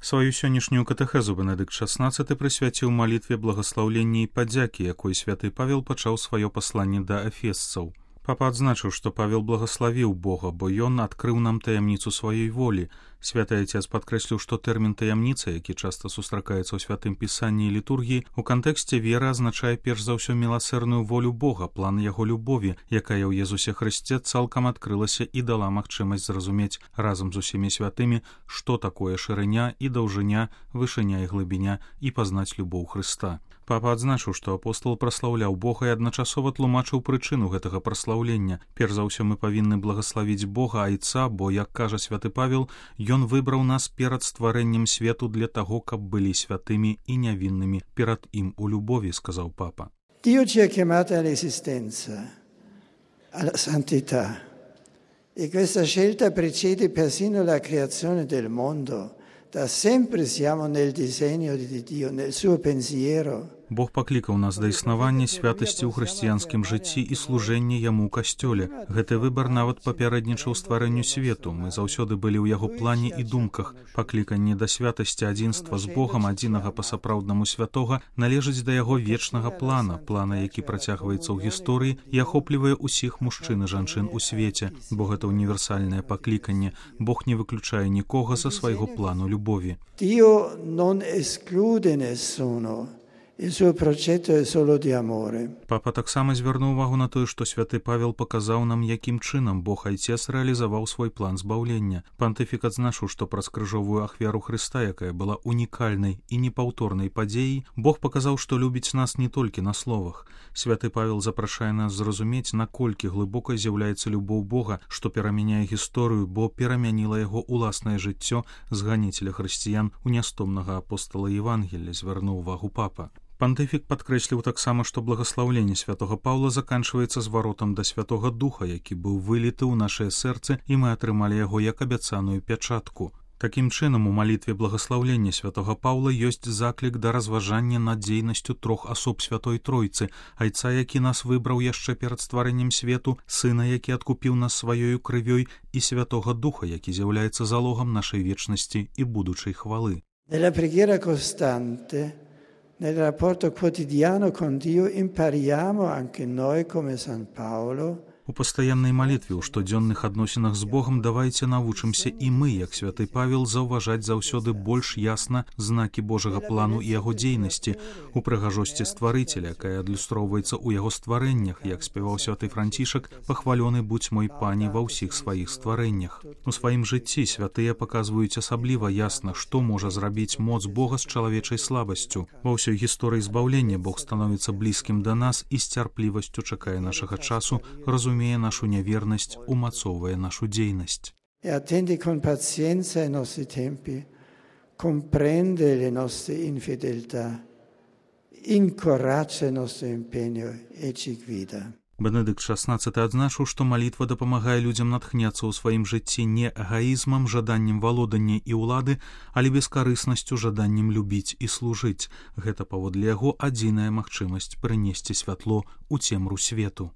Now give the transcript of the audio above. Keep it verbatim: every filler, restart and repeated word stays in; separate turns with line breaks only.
Сваю сённяшнюю катэхезу Бенедыкт шаснаццаты прысвяціў малітве благаслаўлення і падзякі, якой святы Павел пачаў сваё пасланне да эфесцаў. Папа адзначыў, што Павел благаславіў Бога, бо ён адкрыў нам таямніцу сваёй волі. Святы Айцец падкрэсліў, што тэрмін таямніца, які часта сустракаецца ў святым пісанні і літургіі, у кантэксце веры азначае перш за ўсё міласэрную волю Бога, план яго любові, якая ў Езусе Хрысце цалкам адкрылася і дала магчымасць зразумець разам з усімі святымі, што такое шырыня і даўжыня, вышыня і глыбіня, і пазнаць любоў Хрыста. Папа адзначыў, што апостол праслаўляў Бога і адначасова тлумачыў прычыну гэтага праслаўлення. Перш за ўсё мы павінны благаславіць Бога Айца, бо, як кажа святы Павел, ён выбраў нас перад стварэннем свету для таго, каб былі святымі і нявіннымі перад ім у любові, сказаў папа.
Dio ci ha chiamati all'esistenza, alla santità, e questa scelta precede persino la creazione del mondo. Da sempre siamo nel disegno di Dio, nel suo pensiero.
Бог паклікаў нас да існавання святасці ў хрысціянскім жыцці і служэння яму ў касцёле. Гэты выбар нават папярэднічаў стварэнню свету. Мы заўсёды былі ў яго плане і думках. Пакліканне да святасці адзінства з Богам, адзінага па-сапраўднаму святога, належыць да яго вечнага плана, плана, які працягваецца ў гісторыі і ахоплівае ўсіх мужчын і жанчын у свеце, бо гэта універсальнае пакліканне. Бог не выключае нікога за свайго плану любові.
Dio non esclude nessuno. Il suo progetto è solo di amore.
Папа таксама звярнуў увагу на тое, што святы Павел паказаў нам, якім чынам Бог Айцец рэалізаваў свой план збаўлення. Пантыфік адзначыў, што праз крыжовую ахвяру Хрыста, якая была унікальнай і непаўторнай падзеяй, Бог паказаў, што любіць нас не толькі на словах. Святы Павел запрашае нас зразумець, наколькі глыбокай з'яўляецца любоў Бога, што перамяняе гісторыю, бо перамяніла яго ўласнае жыццё зганіцеля хрысціян у нястомнага апостала Евангелля, звярнуў увагу папа. Пантыфік падкрэсліў таксама, што благаслаўленне святога Паўла заканчваецца зваротам да Святога Духа, які быў выліты ў нашае сэрцы, і мы атрымалі яго як абяцаную пячатку. Такім чынам, у малітве благаслаўлення святога Паўла ёсць заклік да разважання над дзейнасцю трох асоб Святой Тройцы, Айца, які нас выбраў яшчэ перад стварэннем свету, Сына, які адкупіў нас сваёю крывёй, і Святога Духа, які з'яўляецца залогам нашай вечнасці і будучай хвалы.
Nella preghiera costante, nel rapporto quotidiano con Dio, impariamo anche noi come San Paolo.
У пастаяннай малітве, у штодзённых адносінах з Богам давайце навучымся і мы, як святы Павел, заўважаць заўсёды больш ясна знакі Божага плану і яго дзейнасці, у прыгажосці стварыцеля, якая адлюстроўваецца ў яго стварэннях, як спяваў святы Францішак, пахвалёны будзь мой пані ва ўсіх сваіх стварэннях. У сваім жыцці святыя паказваюць асабліва ясна, што можа зрабіць моц Бога з чалавечай слабасцю. Ва ўсёй гісторыі збаўлення Бог становіцца блізкім да нас і з цярплівасцю чакае нашага часу, разумеючы разумее нашу нявернасць, умацоўвае нашу дзейнасць.
E attende con pazienza i nostri tempi, comprende le nostre infedeltà, incoraggia il nostro impegno e ci guida.
Бенедыкт шаснаццаты адзначыў, што малітва дапамагае людзям натхняцца ў сваім жыцці не эгаізмам, жаданнем валодання і ўлады, але бескарыснасцю, жаданнем любіць і служыць. Гэта, паводле яго, адзіная магчымасць прынесці святло ў цемру свету.